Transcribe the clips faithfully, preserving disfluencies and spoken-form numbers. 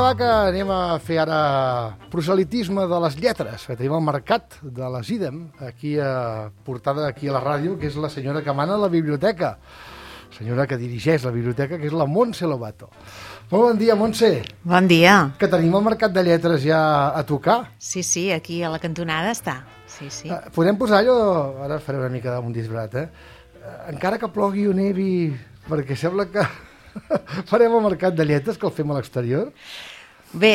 va, que anem a fer ara proselitisme de les lletres, que tenim al mercat de les IDEM, aquí a, portada aquí a la ràdio, que és la senyora que mana la biblioteca, senyora que dirigeix la biblioteca, que és la Montse Lobato. Molt bon dia, Montse. Bon dia. Que tenim el mercat de lletres ja a tocar. Sí, sí, aquí a la cantonada està. Sí, sí. Uh, podem posar allò... Ara faré una mica d'un disbrat, eh? Uh, encara que plogui o nevi, perquè sembla que farem el mercat de lletres, que el fem a l'exterior. Bé,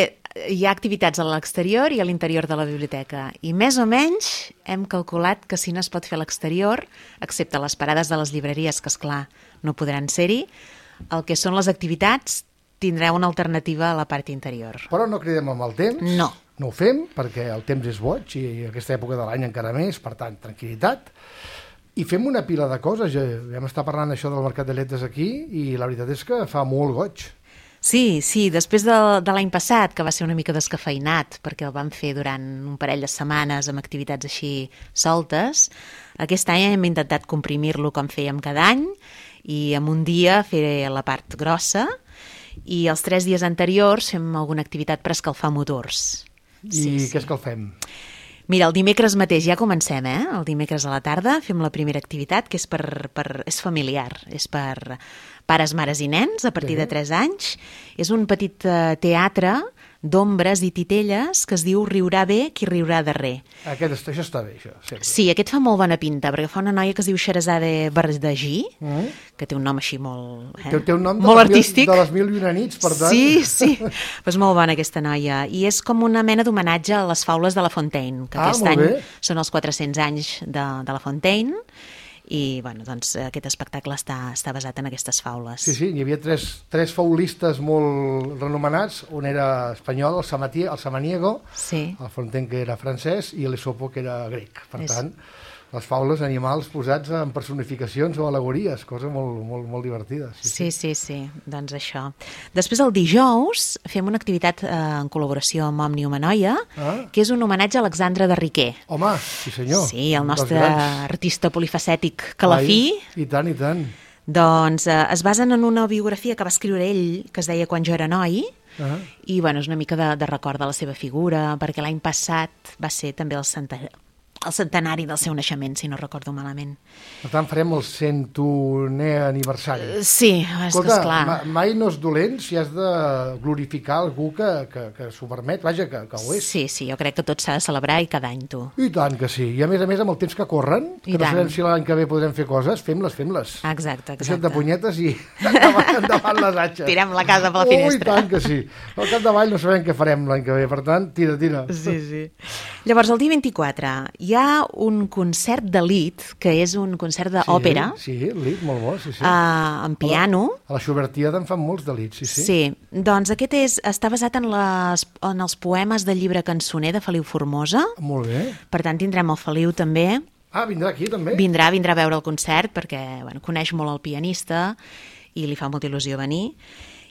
hi ha activitats a l'exterior i a l'interior de la biblioteca. I més o menys hem calculat que si no es pot fer a l'exterior, excepte les parades de les llibreries, que esclar no podran ser-hi, el que són les activitats tindrà una alternativa a la part interior. Però no cridem amb el temps. No. No ho fem, perquè el temps és boig i aquesta època de l'any encara més, per tant, tranquil·litat. I fem una pila de coses. Ja vam estar parlant això del mercat de lletres aquí i la veritat és que fa molt goig. Sí, sí, després de, de l'any passat, que va ser una mica descafeinat, perquè el vam fer durant un parell de setmanes amb activitats així soltes, aquest any hem intentat comprimir-lo com fèiem cada any i en un dia fer la part grossa i els tres dies anteriors fem alguna activitat per escalfar motors. I sí, què sí. escalfem? Mira, el dimecres mateix ja comencem, eh? El dimecres a la tarda fem la primera activitat, que és, per, per, és familiar, és per pares, mares i nens a partir Sí. de tres anys. És un petit uh, teatre d'ombres i titelles que es diu Riurà bé qui riurà darrer. Aquest, això està bé, això. Sempre. Sí, aquest fa molt bona pinta, perquè fa una noia que es diu Xerazade Bardagí, Mm. que té un nom així molt, eh? Té, té un nom de molt les mil- artístic. de les mil i una nits, per tant. Sí, sí, pues molt bona aquesta noia. I és com una mena d'homenatge a les faules de La Fontaine, que Ah, aquest molt any bé. són els quatre-cents anys de, de La Fontaine, i bueno, doncs, aquest espectacle està, està basat en aquestes faules. Sí, sí, hi havia tres, tres faulistes molt renomenats, un era espanyol, el, Samatier, el Samaniego, Sí. el Fontaine, que era francès, i l'Esopo, que era grec. Per És- tant, les faules, animals posats en personificacions o al·legories, cosa molt, molt, molt divertida. Sí, sí, sí, doncs això. Després, el dijous, fem una activitat eh, en col·laboració amb Òmnium Anoia, Ah. que és un homenatge a Alexandre de Riquer. Home, sí senyor. Sí, el un dels nostre grans. artista polifacètic calafí. Ai, I tant, i tant. Doncs eh, es basen en una biografia que va escriure ell, que es deia Quan jo era noi, Ah. i bueno, és una mica de, de record de la seva figura, perquè l'any passat va ser també el, centa, el centenari del seu naixement, si no recordo malament. Per tant, farem el centunè aniversari. Sí, és que esclar. ma, mai no és dolent si has de glorificar algú que, que, que s'ho permet, vaja, que, que ho és. Sí, sí, jo crec que tot s'ha de celebrar i cada any, tu. I tant que sí. I a més a més, amb el temps que corren, que I no tant. sabem si l'any que ve podrem fer coses, fem-les, fem-les. Exacte, Deixa't exacte. de punyetes i endavant, endavant les atxes. Tirem la casa per la Oh, finestra. i tant que sí. Al capdavall no sabem què farem l'any que ve, per tant, tira, tira. Sí, sí. Llavors, el dia vint-i-quatre hi ha un concert d'elit, que és un concert d'òpera, Sí, sí, lit, molt bo, sí, sí. uh, en piano. A la Xubertiada en fan molts de lits, sí, sí. Sí, doncs aquest és, està basat en, les, en els poemes del llibre Cançoner de Feliu Formosa. Molt bé. Per tant, tindrem el Feliu també. Ah, vindrà aquí també? Vindrà, vindrà a veure el concert perquè bueno, coneix molt el pianista i li fa molta il·lusió venir.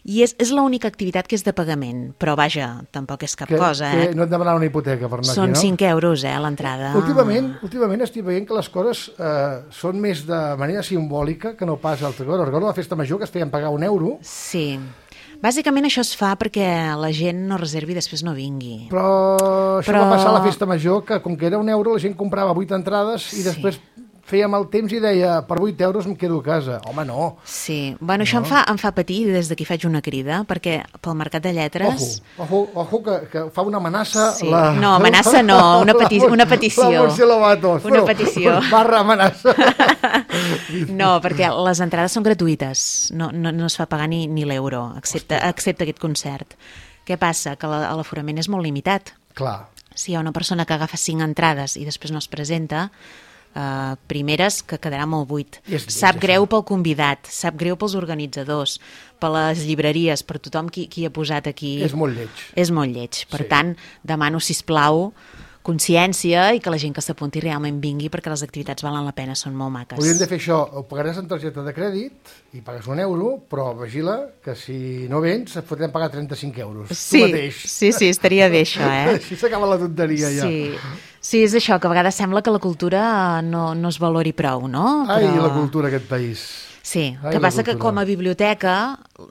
I és, és l'única activitat que és de pagament, però vaja, tampoc és cap que, cosa, que eh? no et demanar una hipoteca per anar Són aquí, no? cinc euros, eh, l'entrada. Últimament, últimament estic veient que les coses eh, són més de manera simbòlica que no pas altra cosa. Recordo la festa major que es feien pagar un euro, Sí. Bàsicament això es fa perquè la gent no reservi i després no vingui. però això Però- va passar a la festa major, que com que era un euro la gent comprava vuit entrades i Sí. després fèiem el temps i deia per vuit euros em quedo a casa. Home, no. Sí, bueno, això em fa, em fa patir i des d'aquí faig una crida, perquè pel mercat de lletres... Ojo, ojo, ojo que, que fa una amenaça... Sí. No, amenaça no, una peti- una petició. La Montse Lobato. Una petició. Barra amenaça. No, perquè les entrades són gratuïtes, no, no, no es fa pagar ni, ni l'euro, excepte, excepte aquest concert. Què passa? Que la- l'aforament és molt limitat. Clar. Si hi ha una persona que agafa cinc entrades i després no es presenta, eh, primeres que quedarà molt buit. I és lleig, Sap això. greu pel convidat, sap greu pels organitzadors, per les llibreries, per tothom qui, qui ha posat aquí. És molt lleig. És molt lleig. Per Sí. tant, demano, sisplau, consciència i que la gent que s'apunti realment vingui perquè les activitats valen la pena, són molt maques. Hauríem de fer això, ho pagaràs en targeta de crèdit i pagues un euro, però vigila que si no vens et fotrem pagar trenta-cinc euros. Sí, Tu mateix. sí, sí, estaria bé això, eh? Així s'acaba la tonteria ja. Sí. Sí, és això, que a vegades sembla que la cultura no, no es valori prou, no? Ai, la cultura d'aquest país. Sí, el Ai, que la passa que cultura. com a biblioteca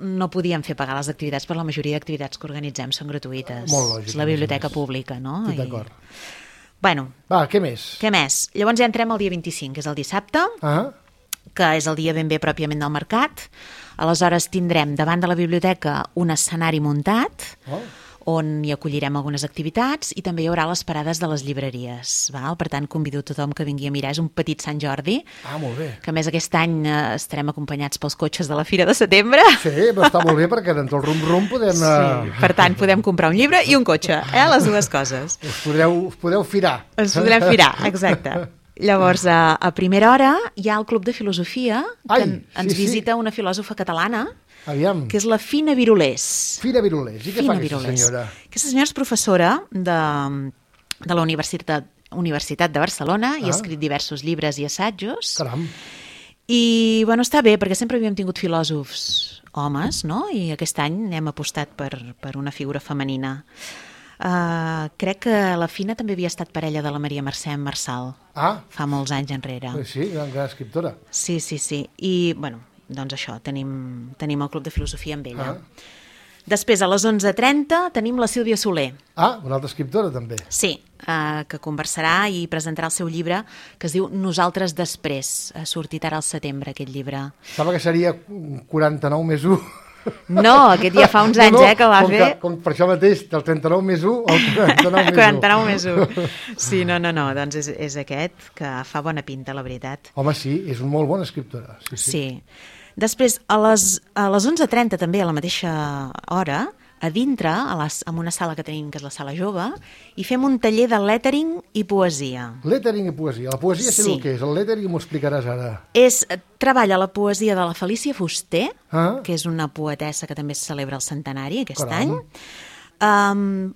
no podíem fer pagar les activitats, però la majoria d'activitats que organitzem són gratuïtes. Molt lògic, És la a més a biblioteca més. pública, no? Estic I- d'acord. Bueno, Va, què més? què més? Llavors ja entrem al dia vint-i-cinc, que és el dissabte, Ah, que és el dia ben bé pròpiament del mercat. Aleshores tindrem davant de la biblioteca un escenari muntat, oh. on hi acollirem algunes activitats i també hi haurà les parades de les llibreries. Val? Per tant, convido tothom que vingui a mirar. És un petit Sant Jordi, ah, molt bé. que a més aquest any eh, estarem acompanyats pels cotxes de la Fira de Setembre. Sí, però està molt bé perquè entre el rum-rum podem... Sí, eh, per tant, podem comprar un llibre i un cotxe, eh? Les dues coses. Us podeu, us podeu firar. Ens podrem firar, exacte. Llavors, a, a primera hora hi ha el Club de Filosofia, que Ai, en- ens sí, sí. visita una filòsofa catalana, Aviam. que és la Fina Virolés. Fira Virolés. I què Fina fa aquesta Virolés. senyora? Aquesta senyora és professora de, de la Universitat, Universitat de Barcelona i Ah. ha escrit diversos llibres i assajos. Caram. I, bueno, està bé, perquè sempre havíem tingut filòsofs homes, no? I aquest any hem apostat per, per una figura femenina. Uh, crec que la Fina també havia estat parella de la Maria Mercè Marçal, Ah, fa molts anys enrere. sí, gran, gran escriptora. Sí, sí, sí. I, bueno, doncs això, tenim, tenim el Club de Filosofia amb ella. Ah. Després, a les onze trenta, tenim la Sílvia Soler. Ah, una altra escriptora també. Sí, eh, que conversarà i presentarà el seu llibre que es diu Nosaltres després. Ha sortit ara al setembre, aquest llibre. Sembla que seria quaranta-nou més u. No, aquest ja fa uns anys, eh, que va com fer... Que, com per això mateix, del trenta-nou més u al quaranta-nou més u. quaranta-nou més u. Sí, no, no, no, doncs és, és aquest, que fa bona pinta, la veritat. Home, sí, és una molt bona escriptora. Sí, sí. Sí. Després, a les, a les onze trenta també, a la mateixa hora, a dintre, a les, en una sala que tenim, que és la sala jove, hi fem un taller de lettering i poesia. Lettering i poesia. La poesia sé Sí. el que és, el lettering m'ho explicaràs ara. És, treballa la poesia de la Felícia Fuster, Ah. que és una poetessa que també es celebra el centenari aquest Caram. any, um,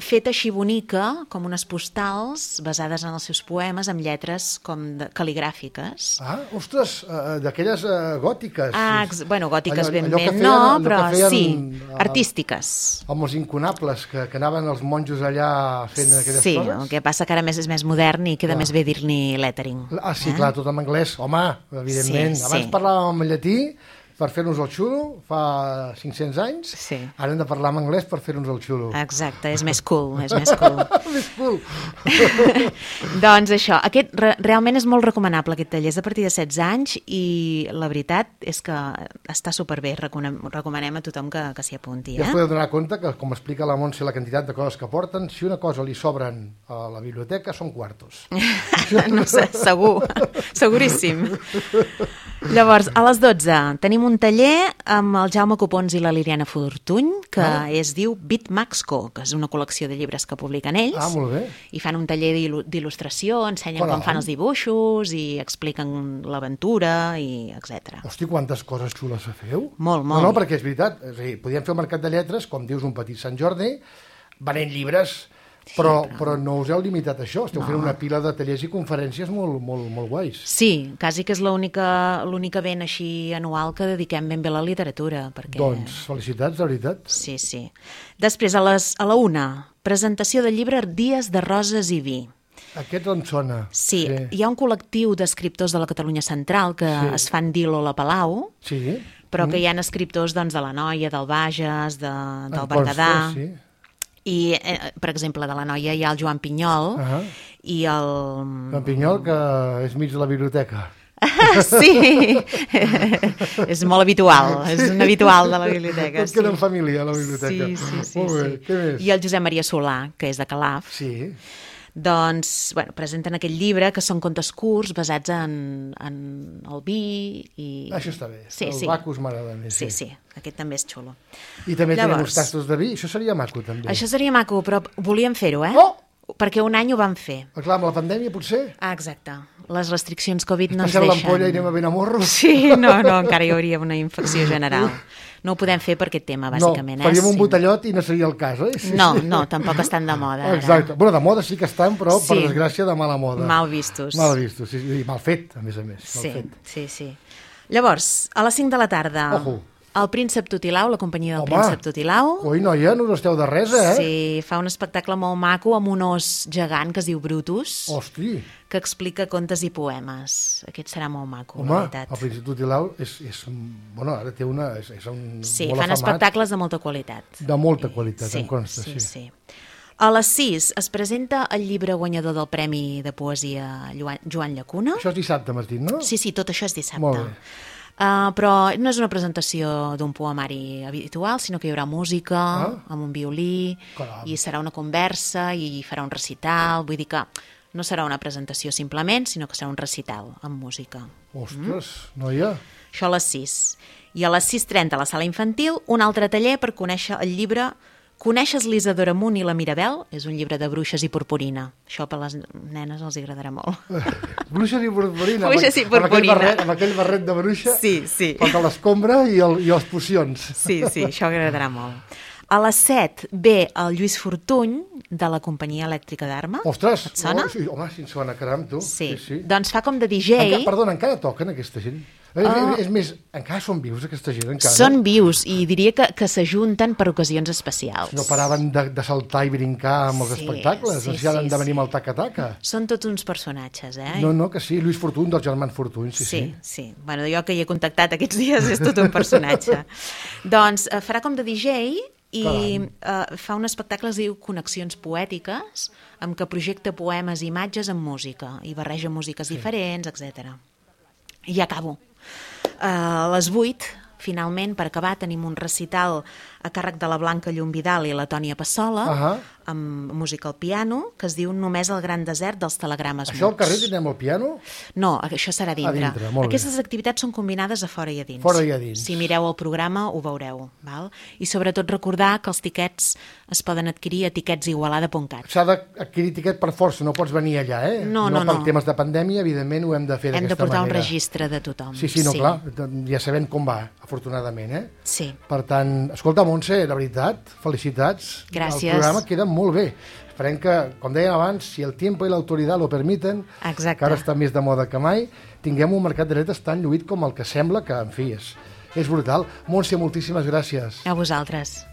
feta així bonica, com unes postals basades en els seus poemes, amb lletres com de, cal·ligràfiques. Ah, ostres, uh, d'aquelles uh, gòtiques. Ah, ex, bueno, gòtiques Allò- ben allò que bé feien- no, allò que però feien, sí, eh, artístiques. Amb els incunables, que, que anaven els monjos allà fent aquelles Sí, coses. el que passa que ara més és més modern i queda Clar. més bé dir-ne lettering. Ah, sí, eh? clar, tot en anglès. Home, evidentment. Sí, Abans sí. parlàvem en llatí per fer-nos el xulo, fa cinc-cents anys. Sí. Ara hem de parlar en anglès per fer-nos el xulo. Exacte, és més cool, és més cool. Més cool. Doncs això, aquest re realment és molt recomanable, aquest taller, és a partir de setze anys i la veritat és que està superbé, recomanem, recomanem a tothom que, que s'hi apunti. Ja us Eh? podeu donar compte que, com explica la Montse, la quantitat de coses que porten, si una cosa li sobren a la biblioteca, són quartos. No sé, segur, seguríssim. Llavors, a les dotze tenim un taller amb el Jaume Copons i la Liliana Fortuny, que Ah. es diu Bitmax Co, que és una col·lecció de llibres que publiquen ells. Ah, molt bé. I fan un taller d'il- d'il·lustració, ensenyen Caram. com fan els dibuixos i expliquen l'aventura i etcètera. Hosti, quantes coses xules feu. Molt, molt. No, no, perquè és veritat. És a dir, podíem fer el mercat de lletres, com dius, un petit Sant Jordi, venent llibres, però, però- però no us heu limitat a això. Esteu No. fent una pila de tallers i conferències molt, molt, molt guais. Sí, quasi que és l'única l'únic event així anual que dediquem ben bé a la literatura. Perquè... Doncs, felicitats, de veritat. Sí, sí. Després, a, les, a la una, presentació del llibre Dies de roses i vi. Aquest on sona. Sí, sí. Hi ha un col·lectiu d'escriptors de la Catalunya Central que Sí. sí. es fan dir l'Ola Palau, Sí. però mm. que hi ha escriptors doncs, de la Noia, del Bages, de, del Em Berguedà... consta, sí. I, eh, per exemple, de la Noia hi ha el Joan Pinyol Ah. i el... En Pinyol, que és mig de la biblioteca. Sí, és molt habitual, és un habitual de la biblioteca. Tot queda en família, a la biblioteca. Sí, sí, sí. Molt bé, sí. què més? I el Josep Maria Solà, que és de Calaf, Sí, doncs, bueno, presenten aquest llibre que són contes curts basats en, en el vi i... això està bé. Sí, el sí. Bacus m'agrada més. Sí, sí, aquest també és xulo. I també tenim Llavors- uns tastos de vi, això seria maco, també. Això seria maco, però volíem fer-ho, eh? Oh! Perquè un any ho vam fer. Ah, clar, amb la pandèmia, potser? Ah, exacte. Les restriccions Covid no ens Passem deixen... l'ampolla i anem a Benamorro? Sí, no, no, encara hi hauria una infecció general. No ho podem fer per aquest tema, bàsicament. No, faríem eh? un Sí. botellot i no seria el cas, eh? Sí, No, sí. no, tampoc estan de moda. Ara. Exacte. Bueno, de moda sí que estan, però, per Sí. desgràcia, de mala moda. Mal vistos. Mal vistos, sí, i mal fet, a més a més. Mal Sí, fet. sí, sí. Llavors, a les cinc de la tarda, Ojo. El Príncep Tutilau, la companyia del Home. Príncep Tutilau. Ui, noia, no us esteu de res, eh? Sí, fa un espectacle molt maco amb un os gegant que es diu Brutus, Hosti, que explica contes i poemes. Aquest serà molt maco, home, la veritat. el Príncep Tutilau és, és... Bueno, ara té una... És, és un Sí, molt fan afamat, espectacles de molta qualitat. de molta qualitat, Sí, em consta, sí, sí. sí. A les sis es presenta el llibre guanyador del Premi de Poesia Joan Joan Llacuna. Això és dissabte, m'has dit, no? Sí, sí, tot això és dissabte. Molt bé. Uh, però no és una presentació d'un poemari habitual, sinó que hi haurà música, Ah. amb un violí, Caram. i serà una conversa, i farà un recital, vull dir que no serà una presentació simplement, sinó que serà un recital amb música. Ostres, noia. Això a les sis. I a les sis trenta a la sala infantil, un altre taller per conèixer el llibre Coneixes l'Isadora Munt i la Mirabel? És un llibre de bruixes i purpurina. Això per les nenes els agradarà molt. Bruixes i purpurina. Bruixes i amb, amb, aquell purpurina. barret, amb aquell barret de bruixa. Sí, sí. Contra l'escombra i, el, i les pocions. Sí, sí, això agradarà molt. A les set ve el Lluís Fortuny, de la companyia elèctrica d'Arma. Ostres, Et sona? Oh, sí, home, si em sona, caram, tu. Sí. sí, sí. Doncs fa com de D J. Enca, perdona, encara toquen aquesta gent? Uh, Ah. és, és més, encara són vius aquesta gent, encara? Són vius i diria que, que s'ajunten per ocasions especials. No paraven de, de saltar i brincar amb els Sí, espectacles, sí, no sé si han sí, de venir sí. amb el taca-taca. Són tots uns personatges, eh? No, no, que sí, Lluís Fortuny, dels germans Fortuny, sí, sí. Sí, sí. Bueno, jo que hi he contactat aquests dies és tot un personatge. Doncs eh, farà com de D J i eh, fa un espectacle que es diu Connexions Poètiques, amb què projecta poemes i imatges amb música, i barreja músiques sí. diferents, etcètera. I ja acabo. Uh, a les vuit, finalment, per acabar, tenim un recital a càrrec de la Blanca Llum Vidal i la Tònia Passola, Ahà. amb música al piano, que es diu Només el gran desert dels telegrames Això al muts. carrer tindrem el piano? No, això serà a dintre. A dintre, molt bé. Aquestes activitats són combinades a fora i a dins. Fora i a dins. Si mireu el programa ho veureu. Val? I sobretot recordar que els tiquets es poden adquirir a tiquets igualada punt cat. S'ha d'adquirir tiquet per força, no pots venir allà, eh? No, no, no. no. Per temes de pandèmia, evidentment, ho hem de fer Hem d'aquesta manera. de portar un registre de tothom. Sí, sí, no, clar, ja sabem com va, afortunadament, eh? Sí. Per tant, escolta, Montse, la veritat, felicitats. Gràcies. El programa queda molt bé. Esperem que, com deien abans, si el tiempo i l'autoritat lo permiten, Exacte. que ara està més de moda que mai, tinguem un mercat de dretes tan lluït com el que sembla que, en fi, és, és brutal. Montse, moltíssimes gràcies. A vosaltres.